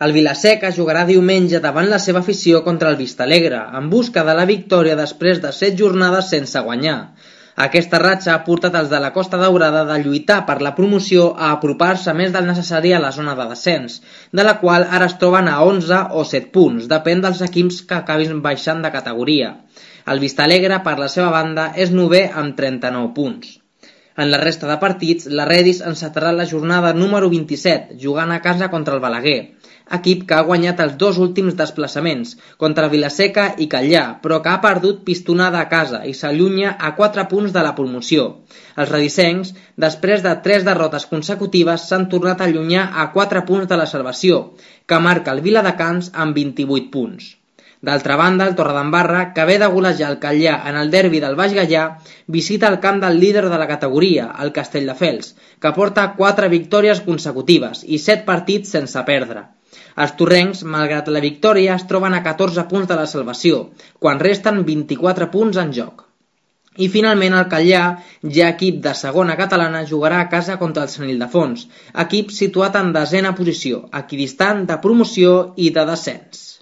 El Vila-seca jugarà diumenge davant la seva afició contra el Vistalegre, en busca de la victòria després de 7 jornades sense guanyar. Aquesta ratxa ha portat els de la Costa Daurada de lluitar per la promoció a apropar-se més del necessari a la zona de descens, de la qual ara es troben a 11 o 7 punts, depèn dels equips que acabin baixant de categoria. El Vistalegre, per la seva banda, és 9è amb 39 punts. En la resta de partits, la Redis encetarà la jornada número 27, jugant a casa contra el Balaguer, equip que ha guanyat els 2 últims desplaçaments, contra Vila-seca i Catllà, però que ha perdut pistonada a casa i s'allunya a 4 punts de la promoció. Els redisencs, després de 3 derrotes consecutives, s'han tornat a allunyar a 4 punts de la salvació, que marca el Viladecans amb 28 punts. D'altra banda, el Torredembarra, que ve de golejar el Catllà en el derbi del Baix Gaià, visita el camp del líder de la categoria, el Castelldefels, que porta 4 victòries consecutives i 7 partits sense perdre. Els torrencs, malgrat la victòria, es troben a 14 punts de la salvació, quan resten 24 punts en joc. I finalment el Catllà, ja equip de segona catalana, jugarà a casa contra el Sant Ildefons, equip situat en 10a posició, equidistant de promoció i de descens.